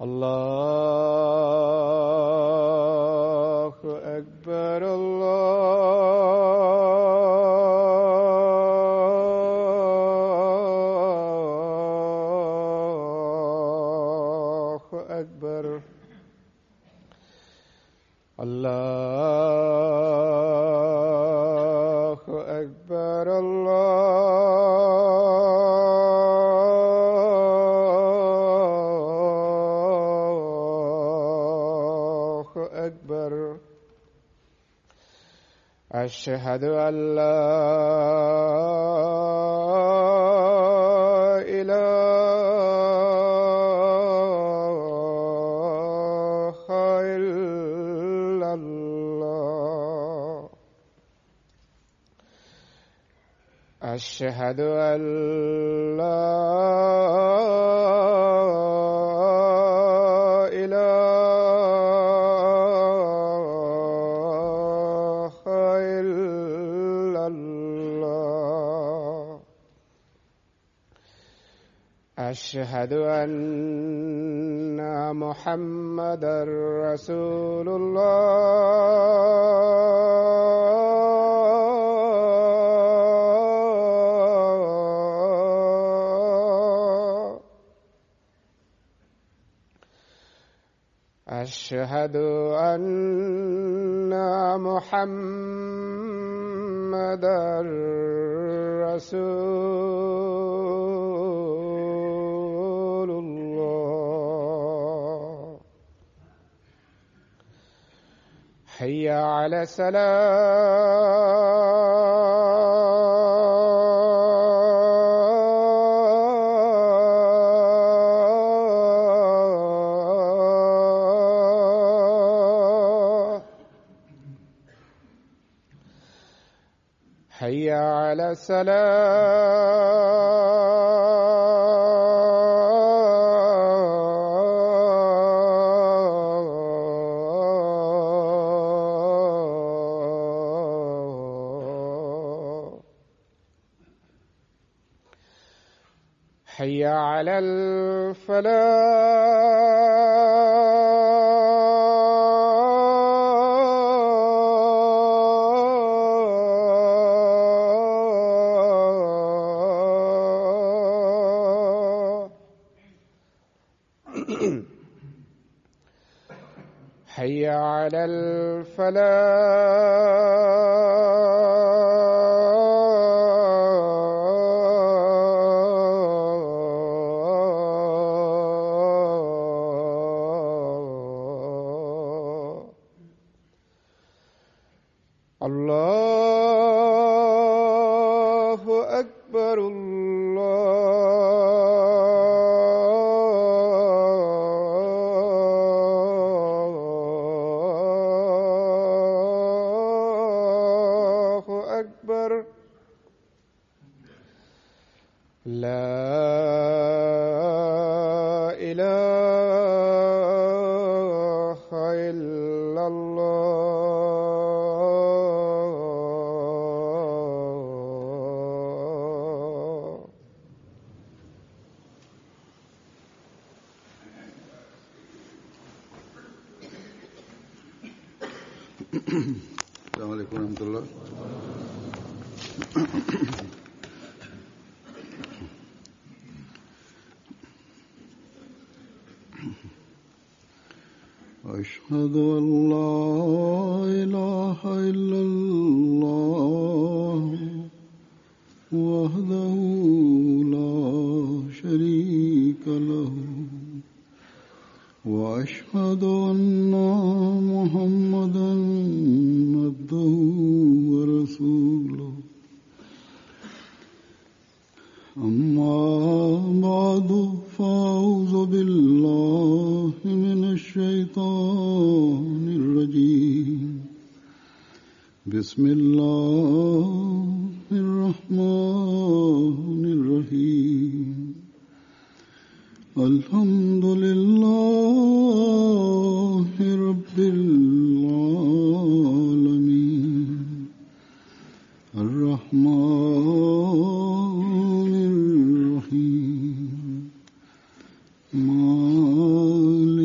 الله أكبر الله أكبر الله أكبر الله أكبر أشهد أن لا إله إلا الله أشهد أن لا إله إلا الله أشهد أن محمدا رسول الله أشهد أن محمدا رسول الله حي على الصلاة حي على الصلاة حي على الفلاح حي على الفلاح الله أكبر الله أكبر لا إله إلا الله السلام عليكم ورحمة الله. أشهد أن لا إله إلا الله وحده لا شريك له وأشهد أن محمدا عبده ورسوله أما بعد فأعوذ بالله من الشيطان الرجيم بسم الله الرحمن الرحيم الحمد لله رب العالمين الرحمن الرحيم مالك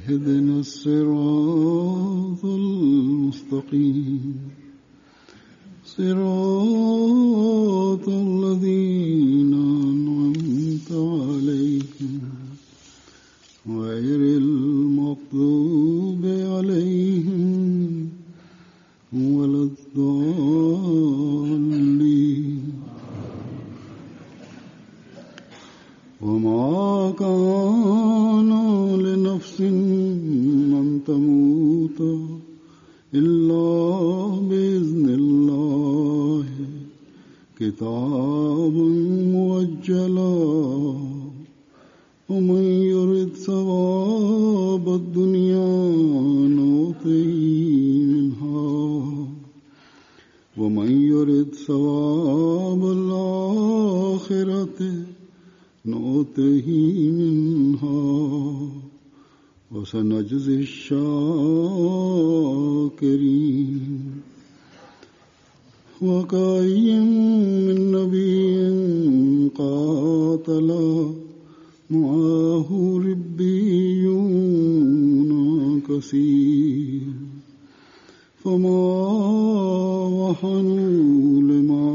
اهدنا الصراط المستقيم صراط الذين أنعمت عليهم غير المغضوب عليهم ولا الضالين وما كان لنفس أن تموت إلا بإذن الله كتابا مؤجلا ومن يرد ثواب الدنيا نؤته منها ومن يرد ثواب الآخرة نؤته منها وسنجزي الشاكرين وكأين من نبي قاتل معه ربيون كثير فما وهنوا لما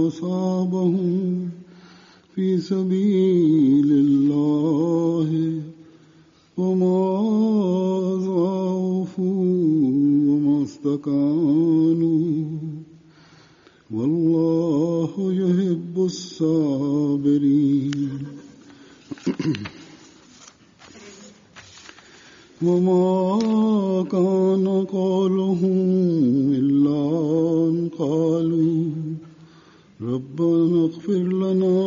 أصابهم في سبيل الله وما ضعفوا وما استكانوا والله يحب الصابرين وما كان قولهم إلا أن قالوا ربنا اغفر لنا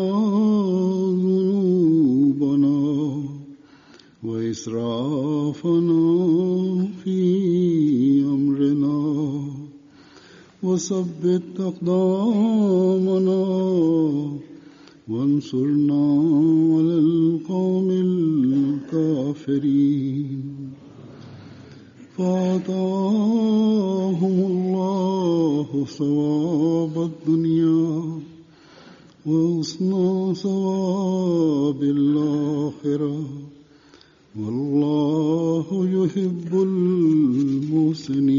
ذنوبنا وإسرافنا في أمرنا وثبت أقدامنا وانصرنا على القوم الكافرين فآتاهم الله ثواب الدنيا وحسن ثواب الآخرة والله يحب المحسنين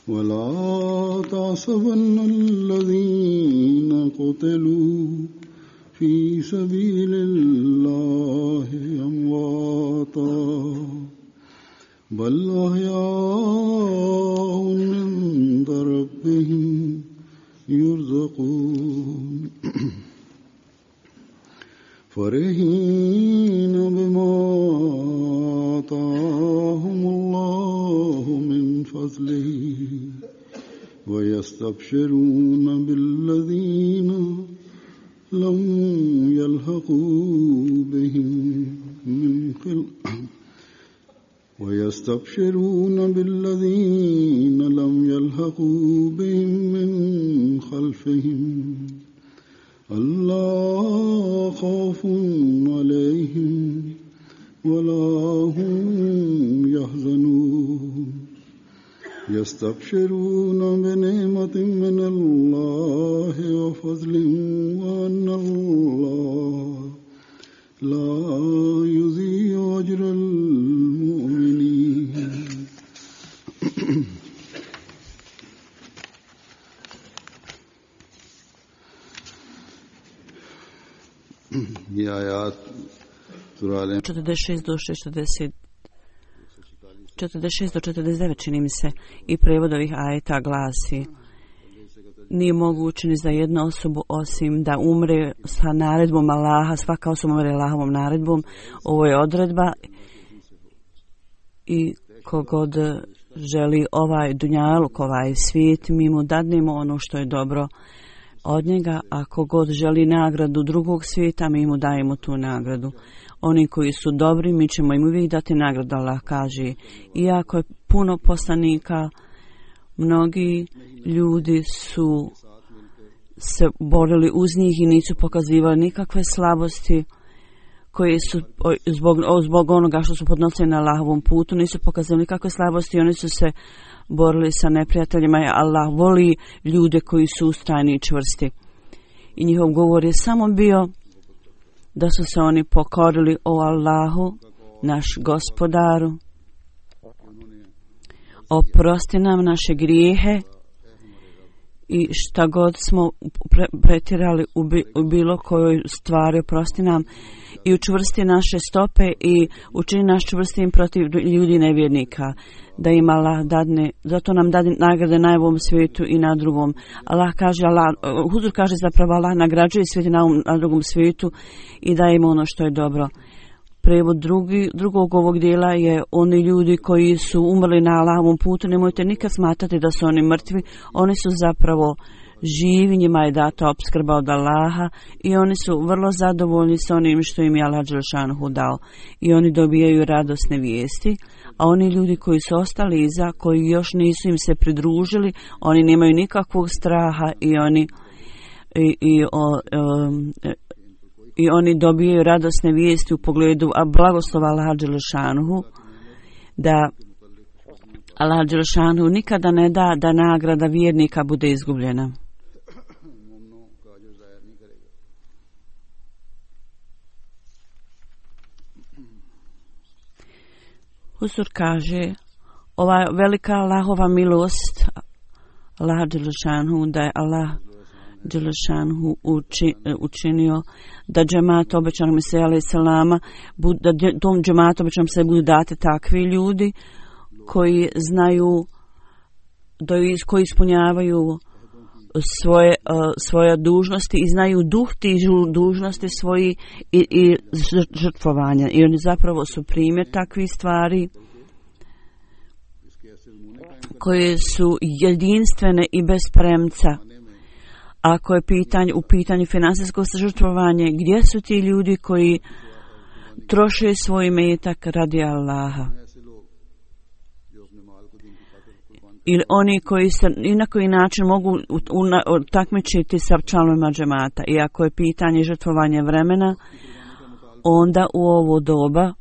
ولا تحسبن الذين قتلوا في سبيل الله أمواتا بل أحياء عند ربهم يرزقون فرحين بما آتاهم الله من فضله ويستبشرون بالذين لم يلحقوا بهم من خلفهم ويستبشرون بالذين لم يلحقوا بهم من خلفهم ألا خوف عليهم ولا هم يحزنون يستبشرون بنعمة من الله وفضل وأن الله لا يضيع أجر المؤمنين ये आयात 46 do 49 čini mi se i prevod ovih ajeta glasi: nije moguće ni za jednu osobu osim da umre sa naredbom Allaha, svaka osoba umre Allahovom naredbom. Ovo je odredba i kogod želi ovaj dunjaluk, ovaj svijet, mi mu dadnemo ono što je dobro od njega, a kogod želi nagradu drugog svijeta, mi mu dajemo tu nagradu. Oni koji su dobri, mi ćemo im uvijek dati nagradu, Allah kaže. Iako je puno poslanika, mnogi ljudi su se borili uz njih i nisu pokazivali nikakve slabosti koje su zbog onoga što su podnosili na Allahovom putu, nisu pokazali nikakve slabosti, oni su se borili sa neprijateljima. Allah voli ljude koji su ustrajni i čvrsti. i njihov govor je samo bio da su se oni pokorili o Allahu, naš gospodaru. Oprosti nam naše grijehe i šta god smo pretjerali u bilo kojoj stvari, oprosti nam i učvrsti naše stope i učini nas čvrstim protiv ljudi nevjernika, da im Allah dadne, zato nam dadne nagrade na ovom svijetu i na drugom. Huzur kaže zapravo Allah nagrađuje svijet na drugom svijetu i daje im ono što je dobro. Prevod drugog ovog dijela je oni ljudi koji su umrli na Allahovom putu, nemojte nikad smatrati da su oni mrtvi, oni su zapravo živi, njima je data opskrba od Allaha i oni su vrlo zadovoljni s onim što im je Allah dželešanuhu dao i oni dobijaju radosne vijesti, a oni ljudi koji su ostali iza, koji još nisu im se pridružili, oni nemaju nikakvog straha i oni dobijaju radosne vijesti u pogledu blagoslova Allaha dželešanuhu, da Allah dželešanuhu nikada ne da da nagrada vjernika bude izgubljena. Huzur kaže, ova velika Allahova milost Allah dželešanuhu, da je Allah dželešanuhu učinio da džemat obećanog Mesija alejhi selama, da tom džematu obećanom se budu date takvi ljudi koji znaju, koji ispunjavaju svoje dužnosti i znaju duh tih dužnosti svoji i žrtvovanja. I oni zapravo su primjer takvih stvari koje su jedinstvene i bez premca. Ako je u pitanju finansijsko žrtvovanje, gdje su ti ljudi koji troše svoj imetak radi Allaha? Ili oni koji se i na koji način mogu takmičiti sa članovima džemata. I ako je pitanje žrtvovanja vremena, onda u ovo doba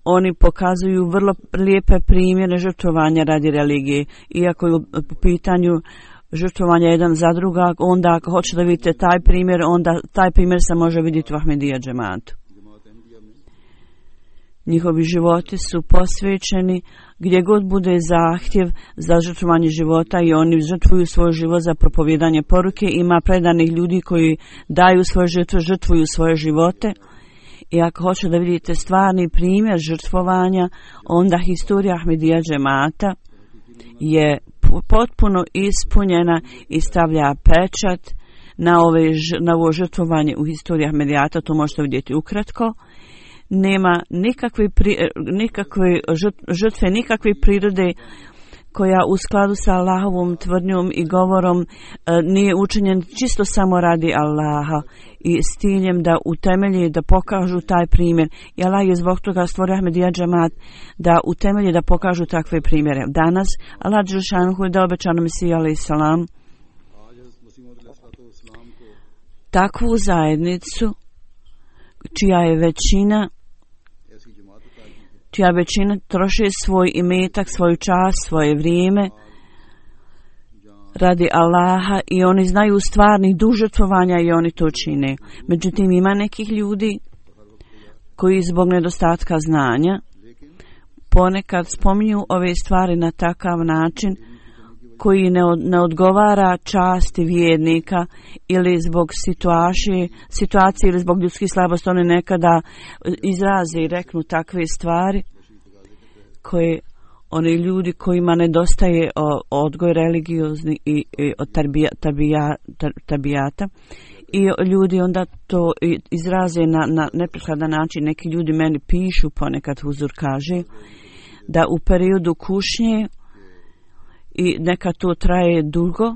oni pokazuju vrlo lijepe primjere žrtvovanja radi religije. Iako je u pitanju žrtvovanja jedan za druga, onda ako hoćete da vidite taj primjer, onda taj primjer se može vidjeti u Ahmedija džematu. Njihovi životi su posvećeni gdje god bude zahtjev za žrtvovanje života i oni žrtvuju svoj život za propovijedanje poruke. Ima predanih ljudi koji daju svoje žrtve, žrtvuju svoje živote. I ako hoćete da vidite stvarni primjer žrtvovanja, onda historija Ahmedija džemata je potpuno ispunjena i stavlja pečat na ovo žrtvovanje u historiji Ahmedijata. To možete vidjeti ukratko. Nema nikakve žrtve, nikakve prirode koja u skladu sa Allahovom tvrdnjom i govorom nije učinjen čisto samo radi Allaha i s ciljem da utemelji, da pokažu taj primjer. I Allah je zbog toga stvorio Ahmedija džemat da utemelji, da pokažu takve primjere. Danas Allah dželešanuhu je dao obećanom Mesiju alejhi selam takvu zajednicu čija većina troši svoj imetak, svoju čast, svoje vrijeme radi Allaha i oni znaju stvarnih duh žrtvovanja i oni to čine. Međutim, ima nekih ljudi koji zbog nedostatka znanja ponekad spominju ove stvari na takav način koji ne odgovara časti vjernika ili zbog situacije ili zbog ljudskih slabosti. Oni nekada izraze i reknu takve stvari koje oni ljudi kojima nedostaje odgoj religiozni i od tabijata i ljudi onda to izraze na neprikladan način. Neki ljudi meni pišu, ponekad Huzur kaže da u periodu kušnje i neka to traje dugo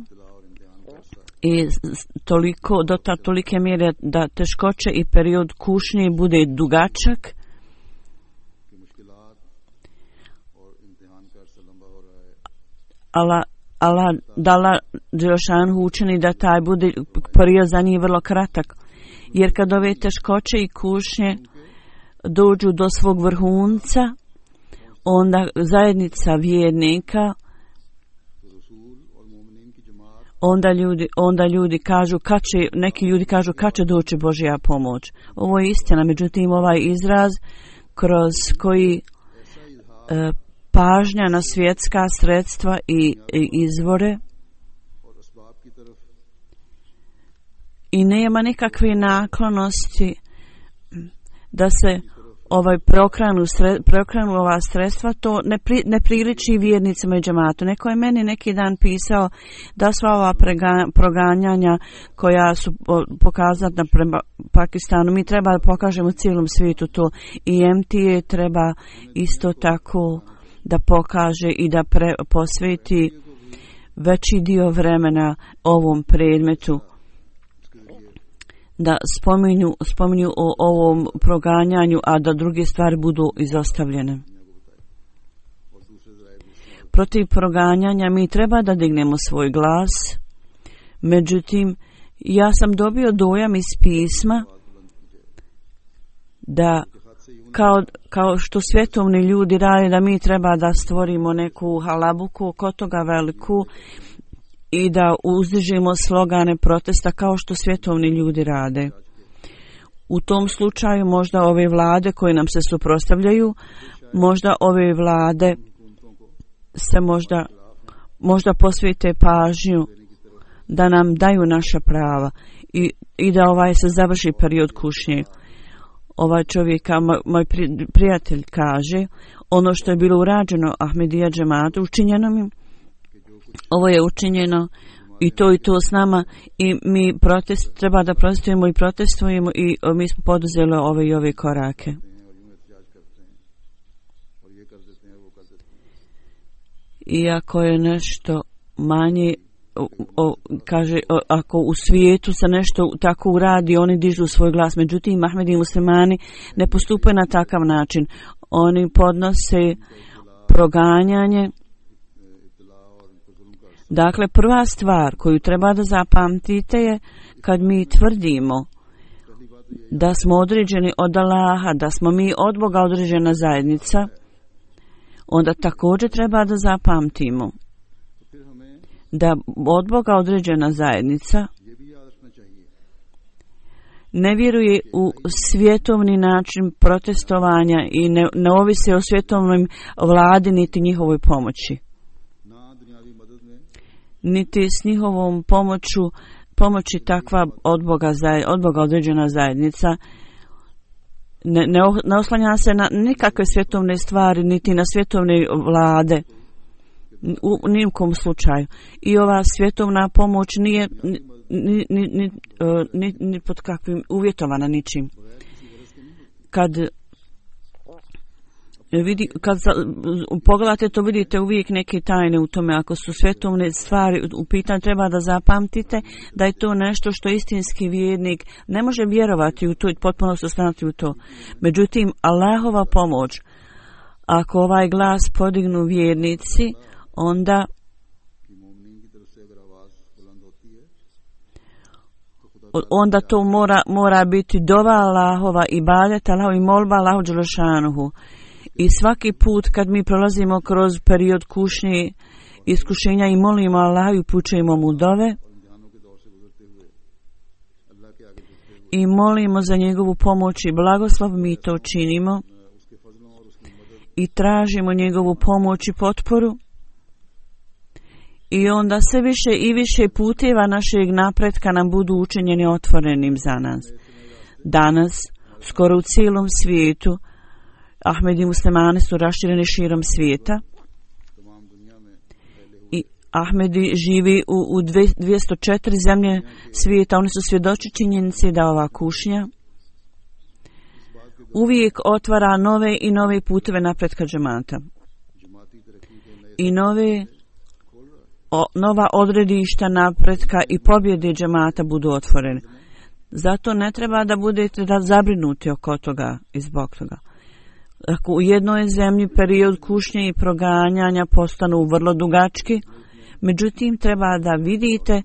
i toliko, do tolike mjere da teškoće i period kušnje bude dugačak. Allah dala dželešanuhu učini da taj bude period za njih vrlo kratak. Jer kad ove teškoće i kušnje dođu do svog vrhunca, onda zajednica vjernika onda ljudi kažu neki ljudi kažu kad će doći Božja pomoć. Ovo je istina, međutim ovaj izraz kroz koji pažnja na svjetska sredstva i izvore i nema nikakve naklonosti da se preokrenu ova sredstva, to ne priliči vjernicima i džematu. Neko je meni neki dan pisao da sva ova proganjanja koja su pokazana prema Pakistanu, mi treba da pokažemo cijelom svijetu to, i MTA treba isto tako da pokaže i da posveti veći dio vremena ovom predmetu, da spominju o ovom proganjanju, a da druge stvari budu izostavljene. Protiv proganjanja mi treba da dignemo svoj glas, međutim, ja sam dobio dojam iz pisma da kao što svjetovni ljudi rade, da mi treba da stvorimo neku halabuku oko toga veliku i da uzdižemo slogane protesta kao što svjetovni ljudi rade. U tom slučaju možda ove vlade koje nam se suprotstavljaju, možda ove vlade se možda posvete pažnju da nam daju naša prava i da se završi period kušnje. Ovaj čovjek, moj prijatelj kaže, ono što je bilo urađeno Ahmedija džematu, učinjeno mi, ovo je učinjeno i to s nama, i mi treba da protestujemo i protestujemo, i mi smo poduzeli ove i ove korake. Iako je nešto manje, kaže, ako u svijetu se nešto tako uradi, oni dižu svoj glas. Međutim, Ahmedi i muslimani ne postupaju na takav način. Oni podnose proganjanje. Dakle, prva stvar koju treba da zapamtite je kad mi tvrdimo da smo određeni od Allaha, da smo mi od Boga određena zajednica, onda također treba da zapamtimo da od Boga određena zajednica ne vjeruje u svjetovni način protestovanja i ne ovise o svjetovnoj vladi niti njihovoj pomoći. Niti s njihovom pomoći takva od Boga određena zajednica ne oslanja se na nikakve svjetovne stvari, niti na svjetovne vlade, u nijekom slučaju. I ova svjetovna pomoć nije ni pod kakvim uvjetovana ničim. Kad pogledate to, vidite uvijek neke tajne u tome. Ako su svjetovne stvari u pitanju, treba da zapamtite da je to nešto što istinski vjernik ne može vjerovati u to i potpuno se oslanjati u to. Međutim, Allahova pomoć, ako ovaj glas podignu vjernici, onda to mora biti dova Allahova, ibadet Allahova i molba Allahu dželešanuhu. I svaki put kad mi prolazimo kroz period kušnje, iskušenja, i molimo Allahu i upućujemo mu dove i molimo za njegovu pomoć i blagoslov, mi to činimo i tražimo njegovu pomoć i potporu, i onda sve više i više puteva našeg napretka nam budu učinjeni otvorenim za nas. Danas, skoro u cijelom svijetu, Ahmedi muslimani su rašireni širom svijeta i Ahmedi živi u 204 zemlje svijeta. Oni su svjedoči činjenici da ova kušnja uvijek otvara nove i nove puteve napretka džemata i nova odredišta napretka i pobjede džemata budu otvorene. Zato ne treba da budete zabrinuti oko toga i zbog toga. Ako u jednoj zemlji period kušnje i proganjanja postanu vrlo dugački, međutim treba da vidite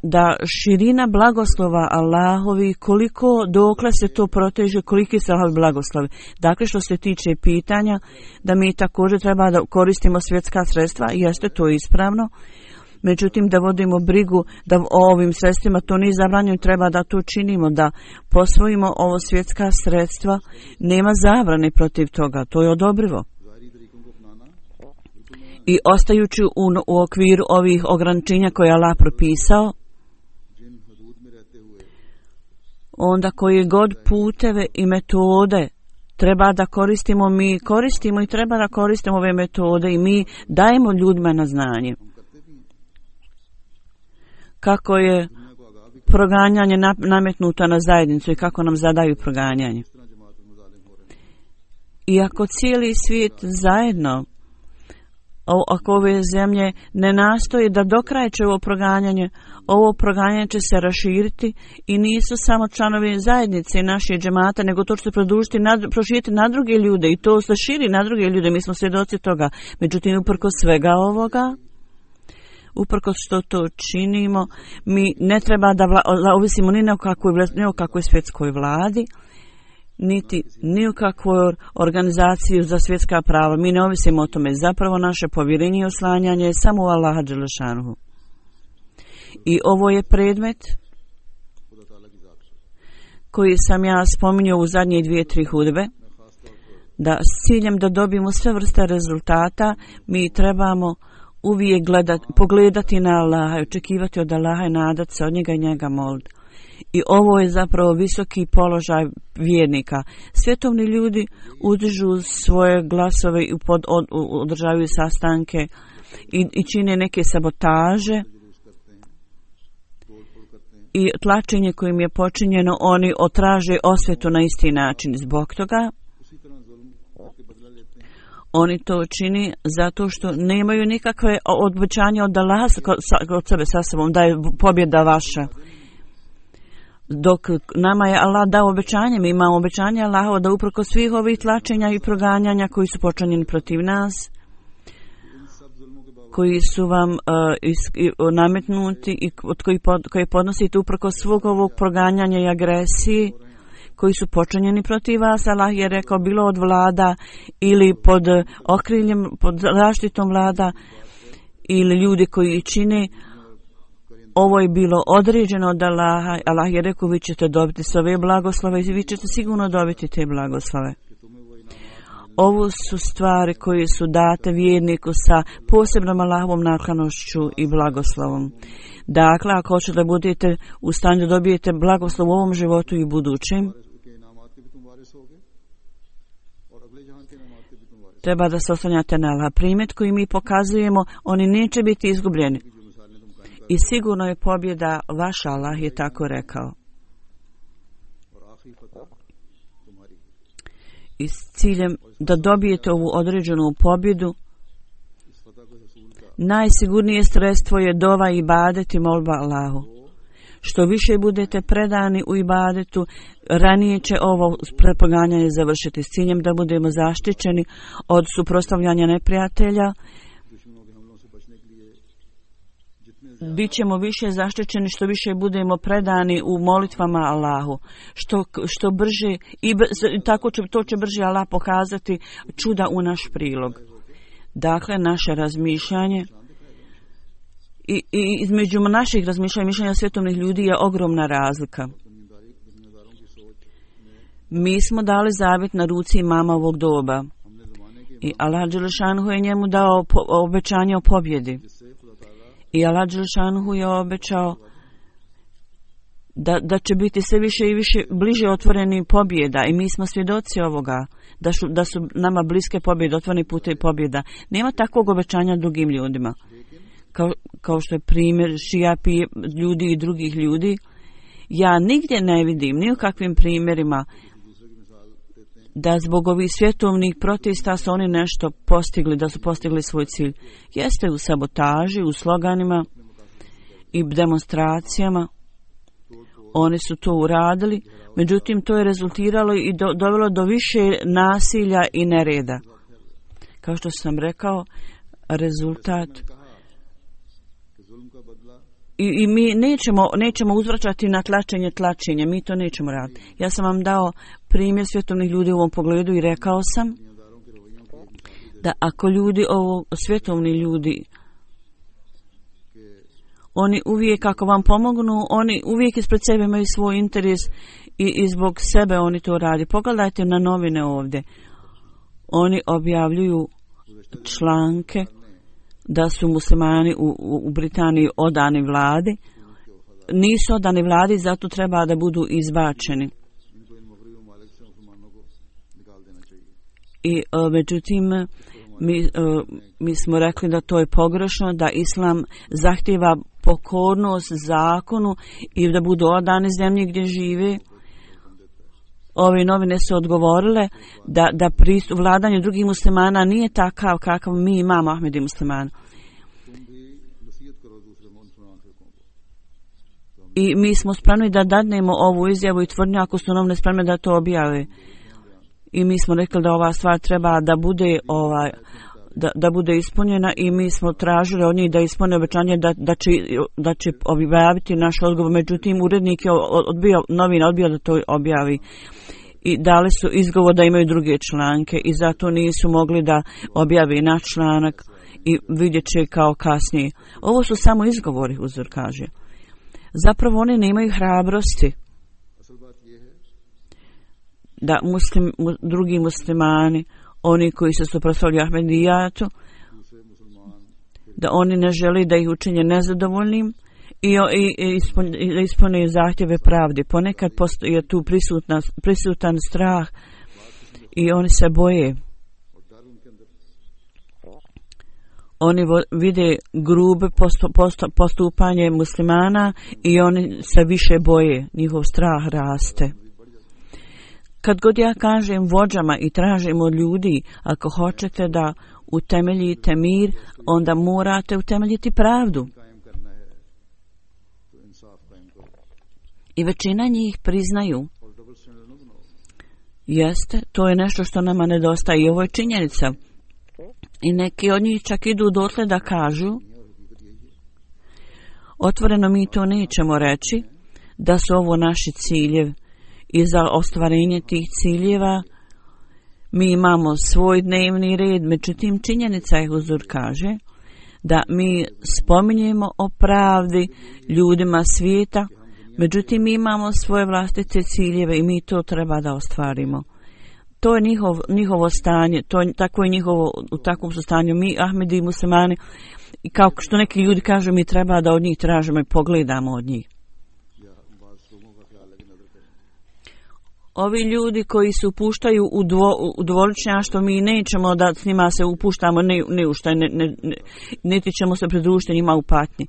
da širina blagoslova Allahovi, koliko dokle se to proteže, koliki se Allahovi blagoslovi. Dakle, što se tiče pitanja da mi također treba da koristimo svjetska sredstva, jeste to ispravno. Međutim, da vodimo brigu da o ovim sredstvima, to nije zabranjeno, treba da to činimo, da posvojimo ovo svjetska sredstva. Nema zabrane protiv toga, to je odobrivo. I ostajući u okviru ovih ograničenja koje je Allah propisao, onda koji god puteve i metode treba da koristimo, mi koristimo i treba da koristimo ove metode i mi dajemo ljudima na znanje. Kako je proganjanje nametnuto na zajednicu i kako nam zadaju proganjanje. Iako cijeli svijet zajedno, ako ove zemlje ne nastoje da dokraječe ovo proganjanje će se raširiti i nisu samo članovi zajednice i naše džemata, nego to će se proširiti na druge ljude i to se širi na druge ljude, mi smo svjedoci toga. Međutim, uprkos svega ovoga, uprkos što to činimo, mi ne treba da ovisimo ni o kakvoj svjetskoj vladi, niti ni u kakvoj organizaciji za svjetska prava. Mi ne ovisimo o tome. Zapravo naše povjerenje i oslanjanje je samo u Allaha dželešanuhu. I ovo je predmet koji sam ja spominjao u zadnje 2-3 hudbe, da s ciljem da dobijemo sve vrste rezultata, mi trebamo uvijek pogledati na Allaha i očekivati od Allaha i nadati se od njega i njega moliti. I ovo je zapravo visoki položaj vjernika. Svjetovni ljudi udižu svoje glasove i održavaju sastanke i čine neke sabotaže i tlačenje kojim je počinjeno, oni otraže osvetu na isti način. Zbog toga oni to čini zato što nemaju nikakve obećanja od Allaha od sebe sa sobom da je pobjeda vaša. Dok nama je Allah dao obećanje, mi imamo obećanje Allahova da uprkos svih ovih tlačenja i proganjanja koji su počinjeni protiv nas, koji su vam nametnuti i koje podnosite uprkos svog ovog proganjanja i agresiji, koji su počinjeni protiv vas, Allah je rekao bilo od vlada ili pod okriljem, pod zaštitom vlada ili ljudi koji čine. Ovo je bilo određeno od Allaha. Allah je rekao vi ćete dobiti sve ove blagoslove i vi ćete sigurno dobiti te blagoslove. Ovo su stvari koje su date vjerniku sa posebnom Allahovom naklonošću i blagoslovom. Dakle, ako hoćete da budete u stanju da dobijete blagoslov u ovom životu i budućem, treba da se oslanjate na Allah. Primjer koji mi pokazujemo, oni neće biti izgubljeni. I sigurno je pobjeda vaša, Allah je tako rekao. I s ciljem da dobijete ovu određenu pobjedu, najsigurnije sredstvo je dova i ibadet i molba Allahu. Što više budete predani u ibadetu, ranije će ovo proganjanje završiti s ciljem da budemo zaštićeni od suprotstavljanja neprijatelja. Bićemo više zaštićeni što više budemo predani u molitvama Allahu. Što brže i tako će to će brže Allah pokazati čuda u naš prilog. Dakle, naše razmišljanje i između naših razmišljanja i mišljenja svjetovnih ljudi je ogromna razlika. Mi smo dali zavjet na ruci imama ovog doba i Allah dželešanuhu je njemu dao obećanje o pobjedi. I Allah dželešanuhu je obećao da će biti sve više i više bliže otvoreni pobjeda i mi smo svjedoci ovoga, da su nama bliske pobjede, otvoreni putevi pobjeda. Nema takvog obećanja drugim ljudima. Kao što je primjer šijapi ljudi i drugih ljudi, ja nigdje ne vidim, ni u kakvim primjerima, da zbog ovih svjetovnih protesta su oni nešto postigli, da su postigli svoj cilj. Jeste u sabotaži, u sloganima i demonstracijama. Oni su to uradili, međutim to je rezultiralo i dovelo do više nasilja i nereda. Kao što sam rekao, rezultat. I mi nećemo uzvraćati na tlačenje, mi to nećemo raditi. Ja sam vam dao primjer svjetovnih ljudi u ovom pogledu i rekao sam da ako svjetovni ljudi Oni uvijek, ako vam pomognu, oni uvijek ispred sebe imaju svoj interes i zbog sebe oni to radi. Pogledajte na novine ovdje. Oni objavljuju članke da su muslimani u Britaniji odani vladi. Nisu odani vladi, zato treba da budu izbačeni. I međutim, mi smo rekli da to je pogrešno, da islam zahtjeva pokornost zakonu i da budu odani zemlji gdje žive. Ove novine su odgovorile da pristup vladanju drugih muslimana nije takav kakav mi imamo Ahmedi muslimana. I mi smo spremni da dadnemo ovu izjavu i tvrdnju ako su novine spremne da to objave. I mi smo rekli da ova stvar treba da bude da bude ispunjena i mi smo tražili od njih da ispune obećanje da će objaviti naš odgovor. Međutim, urednik je odbio da to objavi i dali su izgovor da imaju druge članke i zato nisu mogli da objavi naš članak i vidjet će kao kasnije. Ovo su samo izgovori, uzor kaže. Zapravo oni nemaju hrabrosti da drugi muslimani, oni koji se suprotstavljaju Ahmedijatu, da oni ne žele da ih učinje nezadovoljnim i ispune zahtjeve pravde. Ponekad je tu prisutan strah i oni se boje. Oni vide grube postupanje muslimana i oni se više boje. Njihov strah raste. Kad god ja kažem vođama i tražim od ljudi, ako hoćete da utemeljite mir, onda morate utemeljiti pravdu. I većina njih priznaju. Jeste, to je nešto što nama nedostaje i ovo je činjenica. I neki od njih čak idu dotle da kažu, otvoreno mi to nećemo reći, da su ovo naši ciljevi. I za ostvarenje tih ciljeva mi imamo svoj dnevni red, međutim činjenica je, huzur kaže, da mi spominjemo o pravdi ljudima svijeta, međutim mi imamo svoje vlastite ciljeve i mi to treba da ostvarimo. To je njihovo stanje, tako je njihovo, u takvom su stanju mi, Ahmedi i muslimani, i kao što neki ljudi kažu, mi treba da od njih tražimo i pogledamo od njih. Ovi ljudi koji se upuštaju u dvoličnjaštvo, mi nećemo da s njima se upuštamo ne u šta, niti ćemo se pridružiti njima u patnji.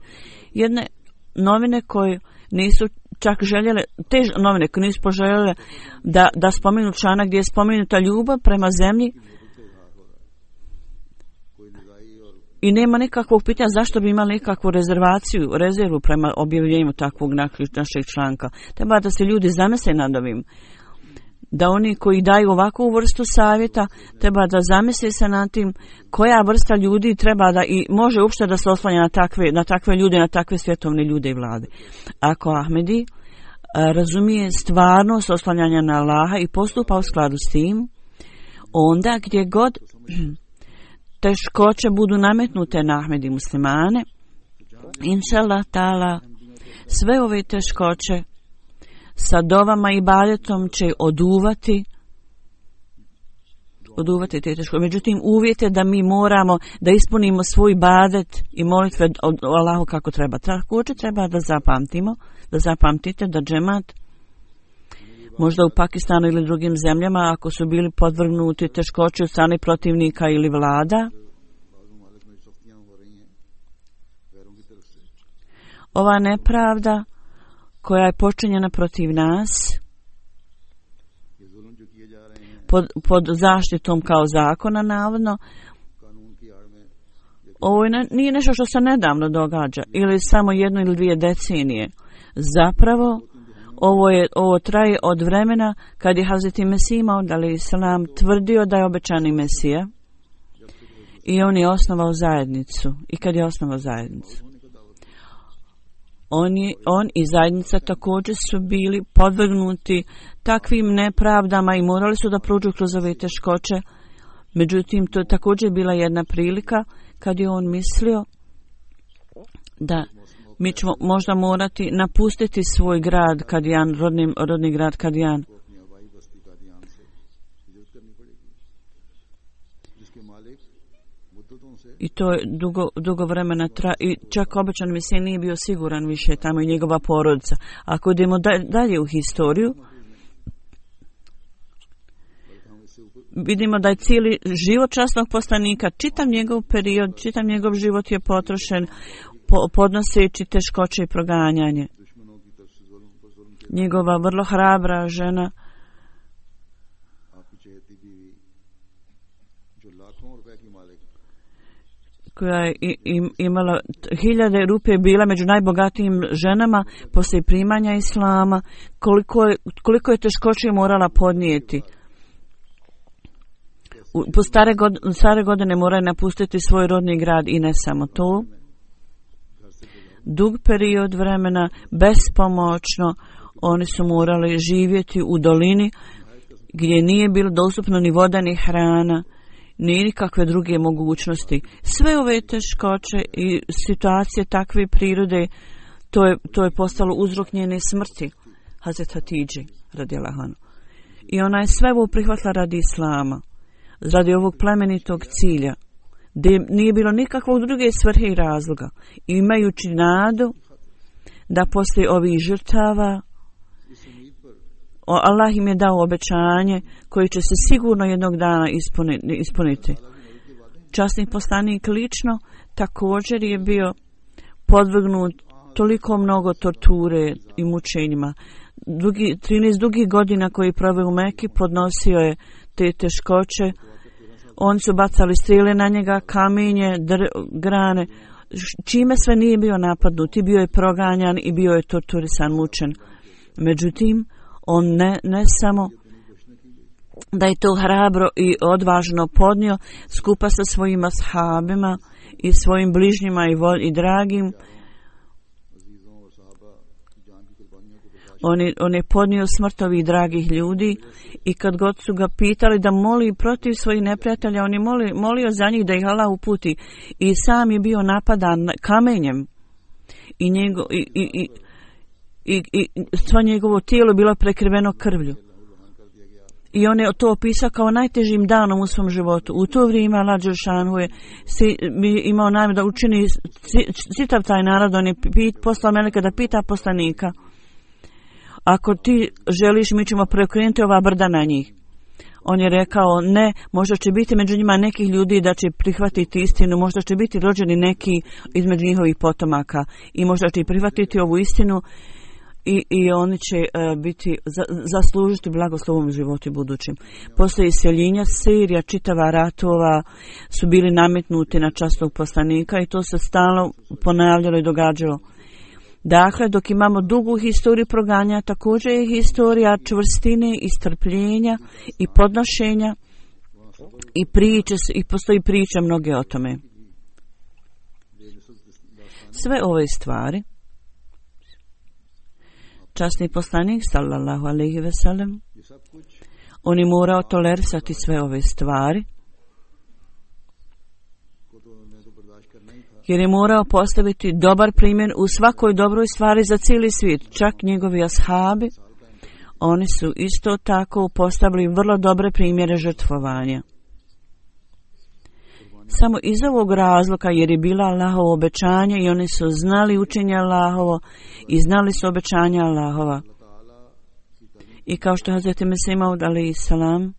Jedne novine koje nisu čak željele, te novine koje nisu poželjele da spomenu članak gdje je spomenuta ljubav prema zemlji i nema nekakvog pitanja zašto bi imali nekakvu rezervu prema objavljenju takvog našeg članka. Treba da se ljudi zamisle nad ovim. Da oni koji daju ovakvu vrstu savjeta treba da zamisle se nad tim koja vrsta ljudi treba da i može uopšte da se oslanja na takve ljude, na takve svjetovne ljude i vlade. Ako Ahmedi razumije stvarnost oslanjanja na Allaha i postupa u skladu s tim, onda gdje god teškoće budu nametnute na Ahmedi muslimane, inšallah ta'ala, sve ove teškoće sa dovama i ibadetom će oduvati te teškoće. Međutim, uvjet je da mi moramo da ispunimo svoj ibadet i molitve od Allahu kako treba. Također treba da zapamtite da džemat možda u Pakistanu ili drugim zemljama, ako su bili podvrgnuti teškoći od strane protivnika ili vlada, ova nepravda koja je počinjena protiv nas pod zaštitom kao zakona navodno, ovo nije nešto što se nedavno događa ili samo 1 ili 2 decenije. Zapravo ovo traje od vremena kad je Hazreti Mesih Maud alejselam tvrdio da je obećani Mesija i on je osnovao zajednicu. I kad je osnovao zajednicu, on i zajednica također su bili podvrgnuti takvim nepravdama i morali su da prođu kroz ove teškoće. Međutim, to je također bila jedna prilika kad je on mislio da Mi ćemo možda morati napustiti svoj grad Kadijan, rodni grad Kadijan. I to je dugo vremena i čak obećan Mesija nije bio siguran više tamo i njegova porodica. Ako idemo dalje u historiju, vidimo da je cijeli život časnog poslanika, čitav njegov period, čitav njegov život je potrošen podnoseći teškoće i proganjanje. Njegova vrlo hrabra žena koja je imala 1000 rupe, bila među najbogatijim ženama poslije primanja islama, koliko je teškoće morala podnijeti. Po stare godine mora napustiti svoj rodni grad i ne samo to. Dug period vremena, bespomoćno, oni su morali živjeti u dolini gdje nije bilo dostupno ni voda ni hrana, ni nikakve druge mogućnosti. Sve ove teškoće i situacije takve prirode, to je postalo uzrok njene smrti, Hazret Hatidži, radijallahu anha. I ona je sve ovo prihvatila radi islama, radi ovog plemenitog cilja, gdje nije bilo nikakvog druge svrhe i razloga. Imajući nadu da poslije ovih žrtava Allah im je dao obećanje koje će se sigurno jednog dana ispuniti. Časni poslanik lično također je bio podvrgnut toliko mnogo torture i mučenjima. 13 dugih godina koji je proveo u Meki podnosio je te teškoće. Oni su bacali strijele na njega, kamenje, grane, čime sve nije bio napadnut i bio je proganjan i bio je torturisan, mučen. Međutim, on ne samo da je to hrabro i odvažno podnio skupa sa svojim ashabima i svojim bližnjima i dragim, on je podnio smrt ovih dragih ljudi i kad god su ga pitali da moli protiv svojih neprijatelja, on je molio za njih da ih Allah uputi i sam je bio napadan kamenjem i svo njegovo tijelo bilo prekriveno krvlju. I on je to opisao kao najtežim danom u svom životu. U to vrijeme Allah Đelešanu je imao namjeru da učini čitav taj narod. On je poslao meleka da pita poslanika: ako ti želiš, mi ćemo preokrenuti ova brda na njih. On je rekao: ne, možda će biti među njima nekih ljudi da će prihvatiti istinu, možda će biti rođeni neki između njihovih potomaka i možda će prihvatiti ovu istinu i oni će zaslužiti blagoslovom životu budućim. Poslije iseljenja Sirija, čitava ratova su bili nametnuti na časnog poslanika i to se stalno ponavljalo i događalo. Dakle, dok imamo dugu historiju proganja, također je historija čvrstine i strpljenja i podnošenja i postoji priča mnoge o tome. Sve ove stvari časni poslanik sallallahu alejhi ve sellem, on je morao tolerisati sve ove stvari jer je morao postaviti dobar primjer u svakoj dobroj stvari za cijeli svijet. Čak njegovi ashabi, oni su isto tako postavili vrlo dobre primjere žrtvovanja. Samo iz ovog razloga, jer je bila Allahovo obećanje i oni su znali učenje Allahovo i znali su obećanja Allahova. I kao što Hazret Mesih Maud alejhi salam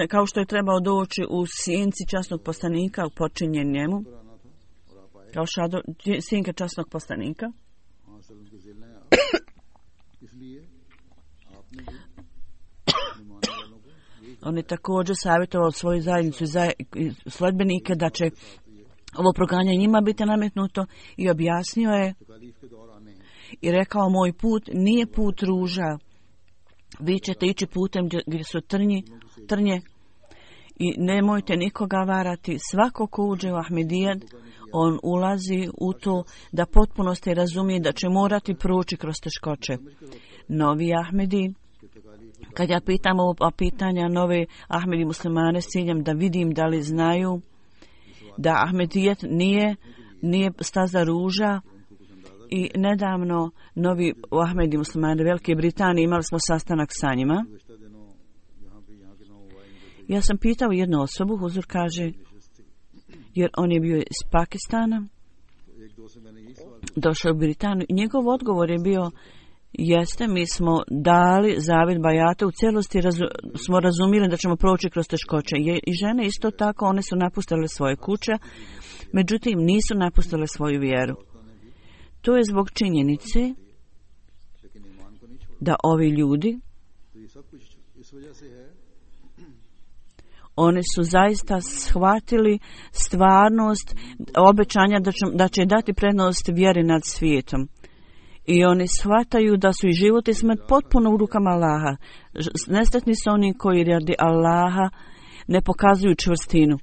kao što je trebao doći u sjenci časnog poslanika počinjen njemu, kao sjenka časnog poslanika, on je također savjetovao svoju zajednicu i sledbenike da će ovo proganjanje njima biti nametnuto i objasnio je i rekao: moj put nije put ruža, vi ćete ići putem gdje su trnje i nemojte nikoga varati. Svako ko uđe u Ahmedijad, on ulazi u to da potpunosti razumije da će morati proći kroz teškoće. Novi Ahmedi Kad ja pitam ovo pitanja nove Ahmedi muslimane s ciljem da vidim da li znaju da Ahmedijet nije staza ruža. I nedavno novi Ahmedi muslimani Velike Britanije imali smo sastanak sa njima. Ja sam pitao jednu osobu, huzur kaže, jer on je bio iz Pakistana, došao u Britaniju i njegov odgovor je bio: jeste, mi smo dali zavjet bajata, u cijelosti smo razumjeli da ćemo proći kroz teškoće. I žene isto tako, one su napustile svoje kuće, međutim nisu napustile svoju vjeru. To je zbog činjenice da ovi ljudi, oni su zaista shvatili stvarnost obećanja da će dati prednost vjeri nad svijetom. I oni shvataju da su i život i smrt potpuno u rukama Allaha. Nesretni su oni koji radi Allaha ne pokazuju čvrstinu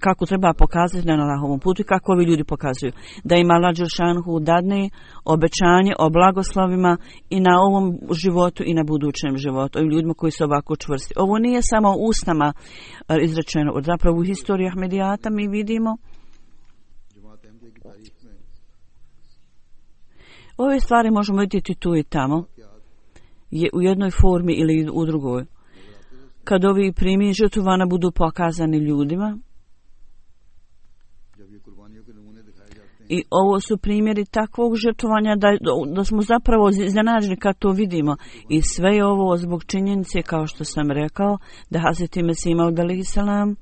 kako treba pokazati na Allahovom putu i kako ovi ljudi pokazuju. Da im Allah dželšanuhu dadne obećanje o blagoslovima i na ovom životu i na budućem životu. Ovim ljudima koji su ovako čvrsti. Ovo nije samo usnama izrečeno. Zapravo u historiji Ahmedijata mi vidimo ove stvari možemo vidjeti tu i tamo, u jednoj formi ili u drugoj. Kad ovi primjeri žrtvovanja budu pokazani ljudima, i ovo su primjeri takvog žrtvovanja da smo zapravo iznenađeni kad to vidimo. I sve je ovo zbog činjenice, kao što sam rekao, da Hazreti Mesih Maud alejhi selam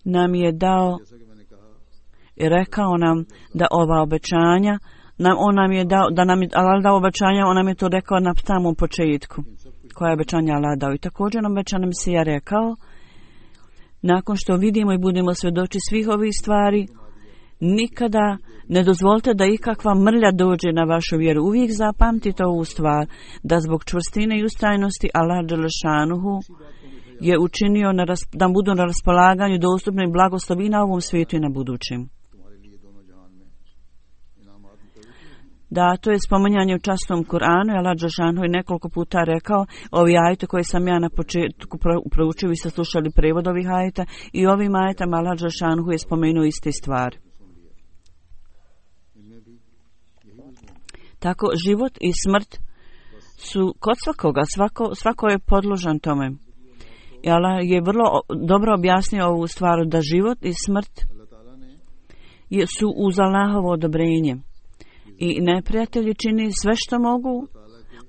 nam je dao i rekao nam da ova obećanja, on nam je dao, da nam je Allah dao obećanja, on nam je to rekao na samom početku. Koja je obećanja Allah dao. I također obećan se je rekao, nakon što vidimo i budemo svjedoči svih ovih stvari, nikada ne dozvolite da ikakva mrlja dođe na vašu vjeru. Uvijek zapamtite ovu stvar, da zbog čvrstine i ustrajnosti Allah dželešanuhu je učinio da budu na raspolaganju dostupni blagoslovi na ovom svijetu i na budućem. Da, to je spominjanje u časnom Kur'anu, i Allah dželešanuhu je nekoliko puta rekao, ovi ajete koje sam ja na početku proučio, vi ste slušali prevod ovih ajeta, i ovim ajetama Allah dželešanuhu je spomenuo iste stvari. Tako život i smrt su kod svakoga, svako je podložan tome. I Allah je vrlo dobro objasnio ovu stvar, da život i smrt su uz Allahovo odobrenje. I neprijatelji čini sve što mogu,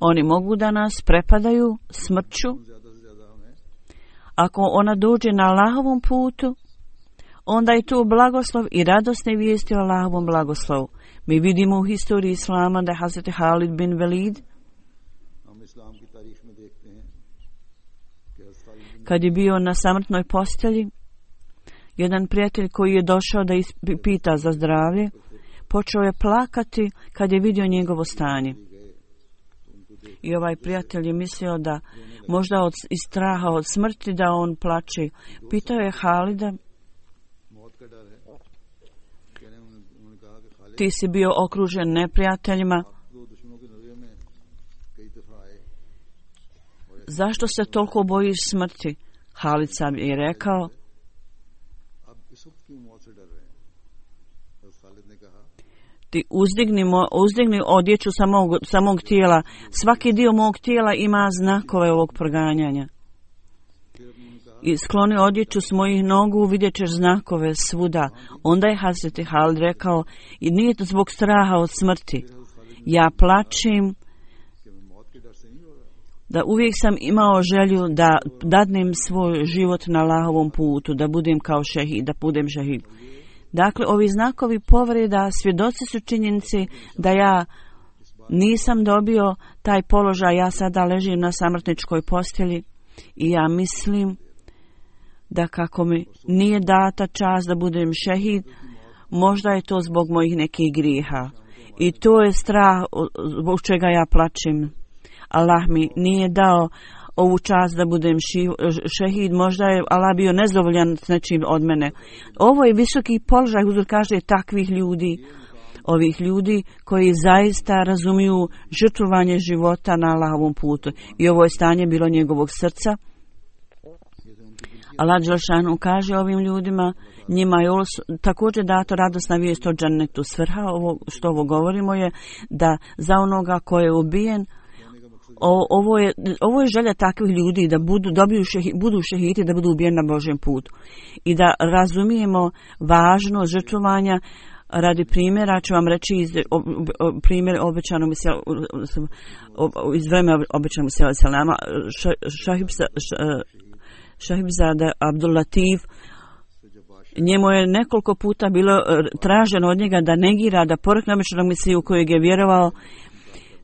oni mogu da nas prepadaju smrću. Ako ona dođe na Allahovom putu, onda je tu blagoslov i radosne vijesti o Allahovom blagoslovu. Mi vidimo u historiji Islama da je Hazreti Halid bin Velid, kad je bio na samrtnoj postelji, jedan prijatelj koji je došao da pita za zdravlje, počeo je plakati kad je vidio njegovo stanje. I ovaj prijatelj je mislio da možda iz straha od smrti da on plače. Pitao je Halida, ti si bio okružen neprijateljima, zašto se toliko bojiš smrti? Halid sam je rekao, ti uzdigni odjeću samog tijela. Svaki dio mog tijela ima znakove ovog proganjanja. I skloni odjeću s mojih nogu, vidjet ćeš znakove svuda. Onda je Hazreti Halid rekao, i nije to zbog straha od smrti. Ja plačim, da uvijek sam imao želju da dadnem svoj život na Allahovom putu, da budem kao šehid, da budem šehid. Dakle, ovi znakovi povreda, svjedoci su činjenici da ja nisam dobio taj položaj, ja sada ležim na samrtničkoj postelji i ja mislim da kako mi nije data čast da budem šehid, možda je to zbog mojih nekih grijeha. I to je strah zbog čega ja plačem. Allah mi nije dao ovu čast da budem šehid, možda je Allah bio nezadovoljan s nečim od mene. Ovo je visoki položaj, huzur kaže, takvih ljudi. ovih ljudi koji zaista razumiju žrtvovanje života na Allahovom putu. I ovo je stanje bilo njegovog srca. Allah dželešanu kaže ovim ljudima, njima je također dato radosna vijest o džennetu. Svrha što ovo govorimo je da za onoga ko je ubijen, ovo je želja takvih ljudi da budu šehidi, da budu ubijeni na Božjem putu. I da razumijemo važnost žrtvovanja. Radi primjera ću vam reći primjer obećanog iz vremena obećanog selama. Šahibzada Abdul Latif, njemu je nekoliko puta bilo traženo od njega da negira, da porekne obećanog Mesiju u kojeg je vjerovao,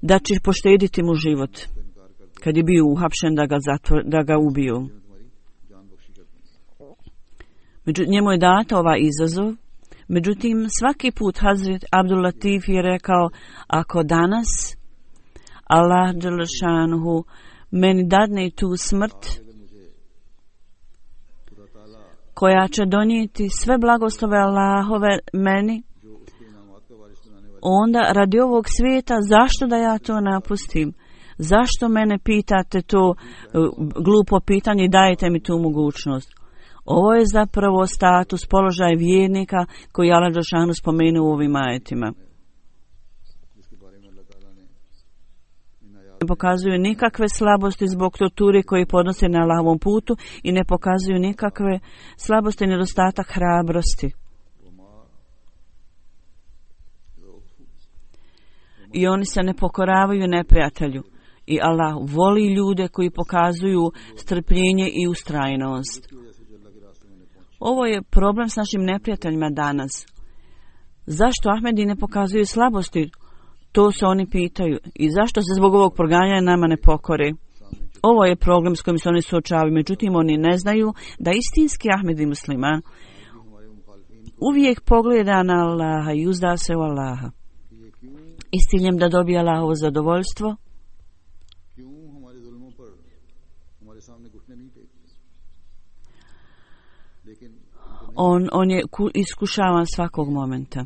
da će poštediti mu život kad je bio uhapšen da ga ubiju. Njemu je data ovaj izazov. Međutim, svaki put Hazret Abdul Latif je rekao, ako danas Allah dželešanuhu meni dadne tu smrt koja će donijeti sve blagoslove Allahove meni, onda radi ovog svijeta zašto da ja to napustim? Zašto mene pitate to glupo pitanje i dajete mi tu mogućnost? Ovo je zapravo status, položaj vjernika koji Allah dželešanu spomenuo u ovim ajetima. Ne pokazuju nikakve slabosti zbog torture koje podnose na Allahovom putu i ne pokazuju nikakve slabosti i nedostatak hrabrosti. I oni se ne pokoravaju neprijatelju. I Allah voli ljude koji pokazuju strpljenje i ustrajnost. Ovo je problem s našim neprijateljima danas. Zašto Ahmedi ne pokazuju slabosti? To se oni pitaju. I zašto se zbog ovog proganjanja nama ne pokore? Ovo je problem s kojim se oni suočavaju. Međutim, oni ne znaju da istinski Ahmedi musliman uvijek pogleda na Allaha i uzda se u Allaha. I s ciljem da dobije Allahovo zadovoljstvo. On je iskušavan svakog momenta.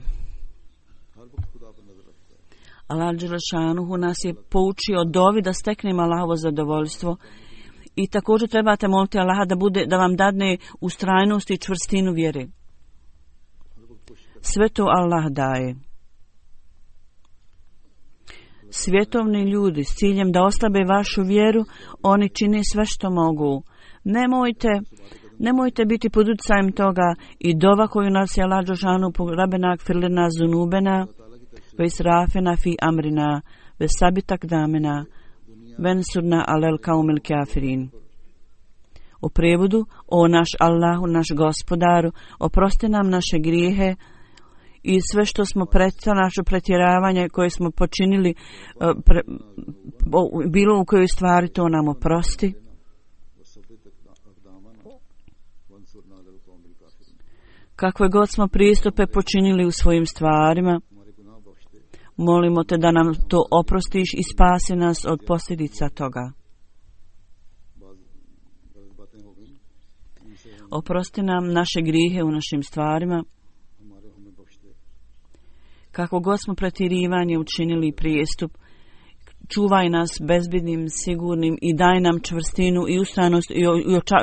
Allah dželešanuhu nas je poučio dovi da steknemo Allahovo zadovoljstvo i također trebate moliti Allaha da vam dadne ustrajnost i čvrstinu vjere. Sve to Allah daje. Svjetovni ljudi s ciljem da oslabe vašu vjeru, oni čine sve što mogu. Nemojte biti pod utjecajem toga i dova koju nas je Allah dželešanu rabbena gfir lana zunubena ve israfena fi amrina ve sabit aqdamena vensurna alel kaumil kafirin. U prevodu, o naš Allahu, naš gospodaru, oprosti nam naše grijehe i sve što smo naše pretjeravanje koje smo počinili, bilo u kojoj stvari, to nam oprosti. Kakve god smo pristupe počinili u svojim stvarima, molimo te da nam to oprostiš i spasi nas od posljedica toga. Oprosti nam naše grijehe u našim stvarima. Kako god smo pretjerivanje učinili prijestup, čuvaj nas bezbednim, sigurnim i daj nam čvrstinu i ustrajnost i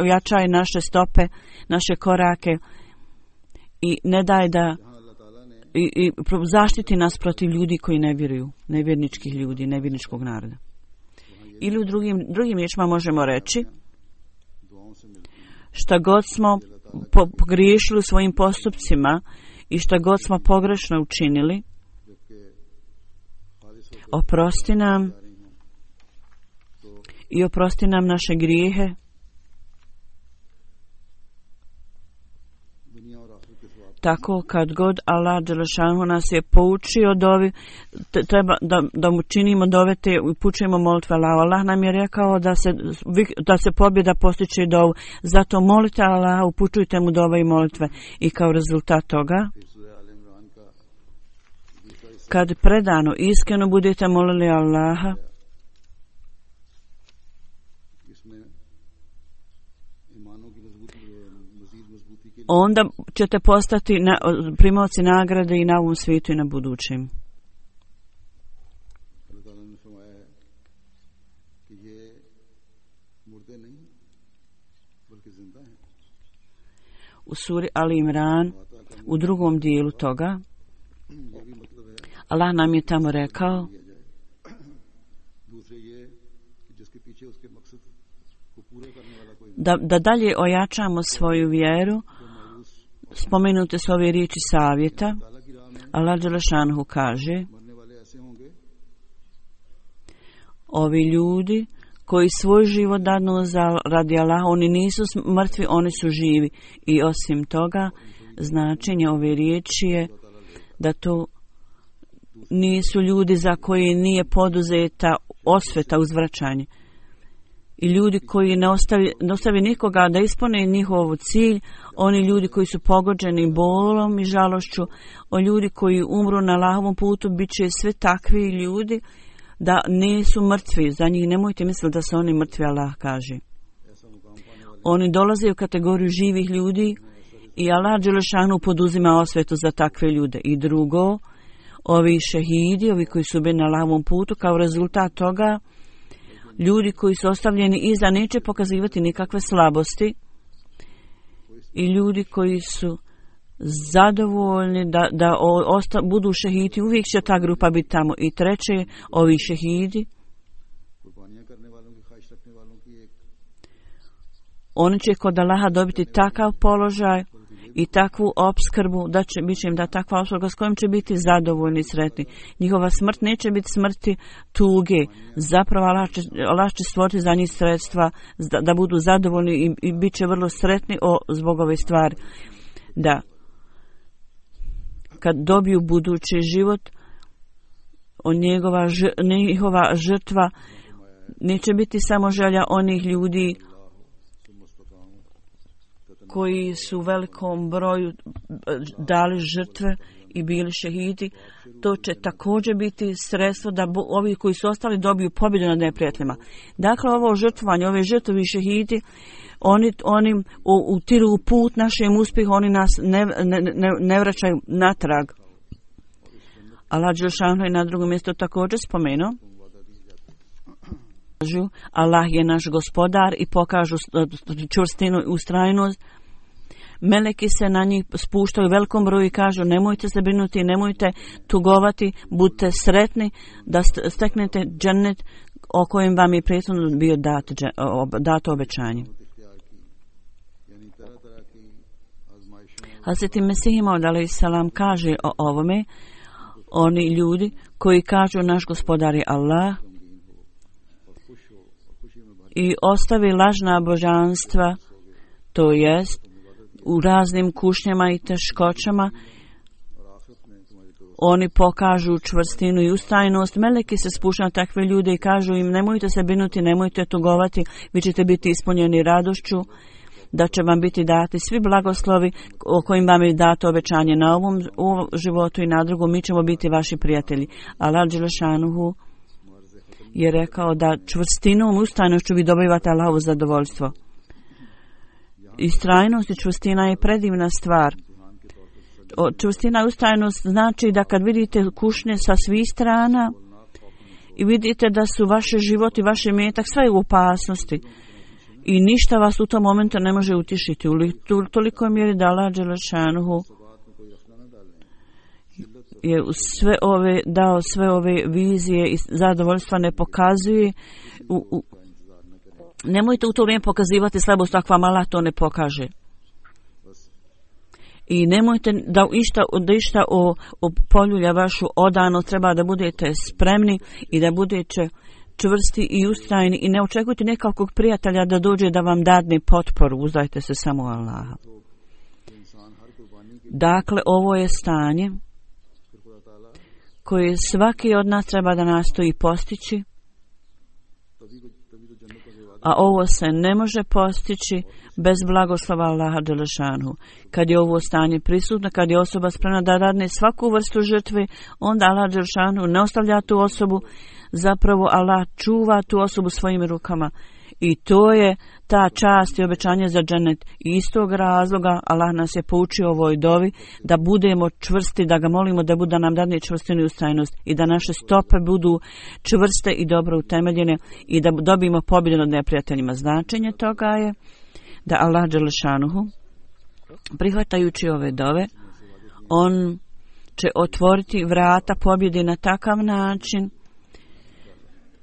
ojačaj naše stope, naše korake i ne daj da i zaštiti nas protiv ljudi koji ne vjeruju, nevjerničkih ljudi, nevjerničkog naroda. Ili u drugim riječima možemo reći, šta god smo pogriješili u svojim postupcima i šta god smo pogrešno učinili, oprosti nam i oprosti nam naše grijehe. Tako kad god Allah dželešanu nas je poučio dovi, treba da mu činimo dove te i upućujemo molitve Allahu. Allah nam je rekao da se pobjeda postiče dovu. Zato molite Allaha, upućujte mu dove i molitve. I kao rezultat toga, kad predano, iskreno budete molili Allaha, onda ćete postati primaoci nagrade i na ovom svijetu i na budućim. U suri Ali Imran, u drugom dijelu toga, Allah nam je tamo rekao da dalje ojačamo svoju vjeru. Spomenute su ove riječi savjeta. Allah dželešanhu kaže: ovi ljudi koji svoj život dadnu radi Allaha, oni nisu mrtvi, oni su živi. I osim toga, značenje ove riječi je da to nisu ljudi za koje nije poduzeta osveta, uzvraćanje. I ljudi koji ne ostavi nikoga da ispune njihov cilj, oni ljudi koji su pogođeni bolom i žalošću, o ljudi koji umru na Allahovom putu, bit će sve takvi ljudi da nisu mrtvi. Za njih nemojte misliti da su oni mrtvi, Allah kaže. Oni dolaze u kategoriju živih ljudi i Allah dželešanu poduzima osvetu za takve ljude. I drugo, ovi šehidi, ovi koji su bili na Allahovom putu, kao rezultat toga, ljudi koji su ostavljeni iza neće pokazivati nikakve slabosti i ljudi koji su zadovoljni da budu šehidi, uvijek će ta grupa biti tamo. I treće, ovi šehidi, oni će kod Allaha dobiti takav položaj i takvu opskrbu, da će biti im da takva opskrba s kojom će biti zadovoljni i sretni. Njihova smrt neće biti smrti tuge. Zapravo Allah će stvoriti za njih sredstva da budu zadovoljni i bit će vrlo sretni zbog ove stvari. Da kad dobiju budući život, njihova žrtva neće biti samo želja onih ljudi koji su u velikom broju dali žrtve i bili šehidi. To će također biti sredstvo da ovi koji su ostali dobiju pobjedu nad neprijateljima. Dakle, ovo žrtvovanje, ove žrtve i šehidi, oni utiru u put našem uspjehu, oni nas ne vraćaju natrag. Allah dželešanu je na drugom mjestu također spomenuo: Allah je naš gospodar, i pokažu čvrstinu i ustrajnost. Meleki se na njih spuštaju u velikom broju i kažu: nemojte se brinuti, nemojte tugovati, budite sretni da steknete džennet o kojem vam je prethodno bio dato obećanje. Hazreti Mesih Maud alejhiselam kaže o ovome: oni ljudi koji kažu naš gospodar je Allah i ostavi lažna božanstva, to jest u raznim kušnjama i teškoćama, oni pokažu čvrstinu i ustrajnost. Meleki se spuštaju na takve ljude i kažu im: nemojte se brinuti, nemojte tugovati, vi ćete biti ispunjeni radošću, da će vam biti dati svi blagoslovi o kojim vam je dato obećanje na ovom životu i na drugom, mi ćemo biti vaši prijatelji. Allah dželešanuhu je rekao da čvrstinom i ustrajnošću vi dobivate Allahovo zadovoljstvo. Istrajnost i čvrstina je predivna stvar. Čvrstina i ustrajnost znači da kad vidite kušnje sa svih strana i vidite da su vaše život i vaše metak sve u opasnosti i ništa vas u tom momentu ne može utišiti, u tolikoj mjeri da Allah dželešanuhu je dao sve ove vizije i zadovoljstva ne pokazuje. Nemojte u to vrijeme pokazivati slabost ako vam Allah to ne pokaže. I nemojte da išta poljulja vašu odanost, treba da budete spremni i da budete čvrsti i ustrajni i ne očekujte nekakvog prijatelja da dođe da vam dadne potporu, uzdajte se samo Allaha. Dakle, ovo je stanje koje svaki od nas treba da nastoji postići, a ovo se ne može postići bez blagoslova Allaha dželešanu. Kad je ovo stanje prisutno, kad je osoba spremna da dadne svaku vrstu žrtve, onda Allah dželešanu ne ostavlja tu osobu, zapravo Allah čuva tu osobu svojim rukama I to je ta čast i obećanje za džennet. I iz tog razloga Allah nas je poučio ovoj dovi da budemo čvrsti, da ga molimo da nam dadne čvrstinu i ustrajnost i da naše stope budu čvrste i dobro utemeljene i da dobijemo pobjedu nad neprijateljima. Značenje toga je da Allah dželešanuhu, prihvatajući ove dove, on će otvoriti vrata pobjede na takav način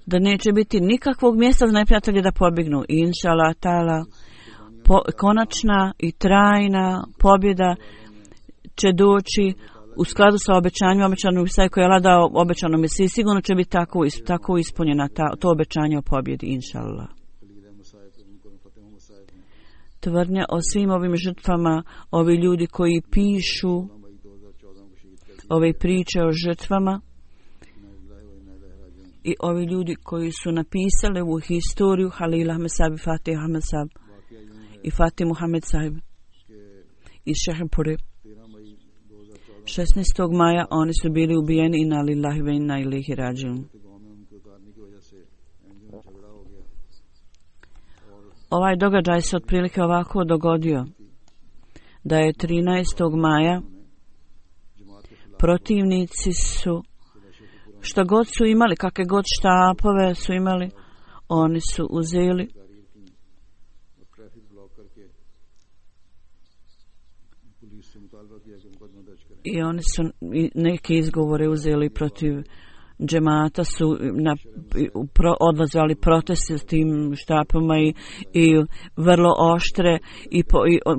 da neće biti nikakvog mjesta za neprijatelje da pobjegnu. I inša Allah ta'ala, konačna i trajna pobjeda će doći u skladu sa obećanjem, obećanom Isai koji je Allah dao obećanom Isai. Sigurno će biti tako ispunjena to obećanje o pobjedi, inša Allah. Tvrdnja o svim ovim žrtvama, ovi ljudi koji pišu ove priče o žrtvama i ovi ljudi koji su napisali ovu historiju, Halil Ahmed Sahib, Fatih Ahmed Sahib i Fatih Muhammed Sahib iz Šehepure. 16. maja oni su bili ubijeni, inna lillahi ve inna ilaihi rađiun. Ovaj događaj se otprilike ovako dogodio da je 13. maja protivnici su što god su imali, kakve god štapove su imali, oni su uzeli i oni su neke izgovore uzeli protiv džemata, su odlazali proteste s tim štapama i vrlo oštre i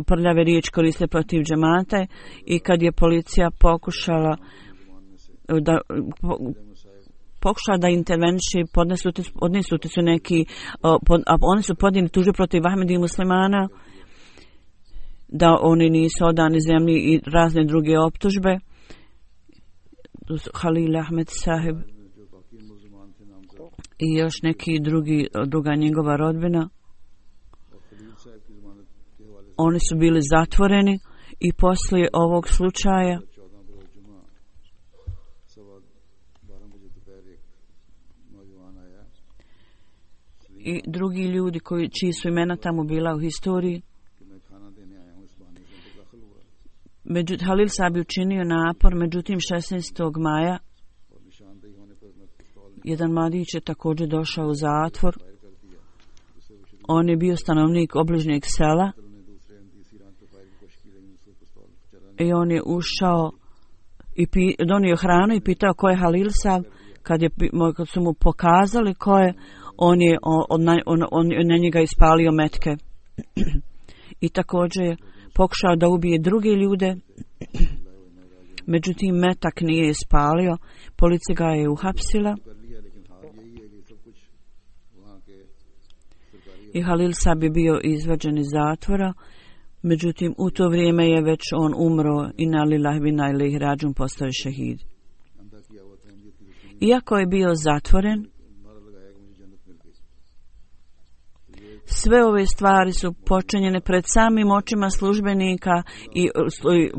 prljave riječi koriste protiv džemata. I kad je policija pokušala da interveniše, odnesuti su neki, oni su podnijeli tužbe protiv Ahmedi i muslimana, da oni nisu odani zemlji i razne druge optužbe. Halil Ahmed Sahib i još neki druga njegova rodbina. Oni su bili zatvoreni i poslije ovog slučaja i drugi ljudi čiji su imena tamo bila u historiji. Halil Sahib je učinio napor, međutim 16. maja jedan mladić je također došao u zatvor. On je bio stanovnik obližnjeg sela i on je ušao i donio hranu i pitao ko je Halil Sahib. Kad su mu pokazali ko je, on je na njega ispalio metke i također je pokušao da ubije druge ljude, međutim metak nije ispalio. Policija ga je uhapsila i Halil Sahib je bio izvađen iz zatvora, međutim u to vrijeme je već on umro, inna lillahi ve inna ilaihi rađiun, postao je šehid. Iako je bio zatvoren, sve ove stvari su počinjene pred samim očima službenika i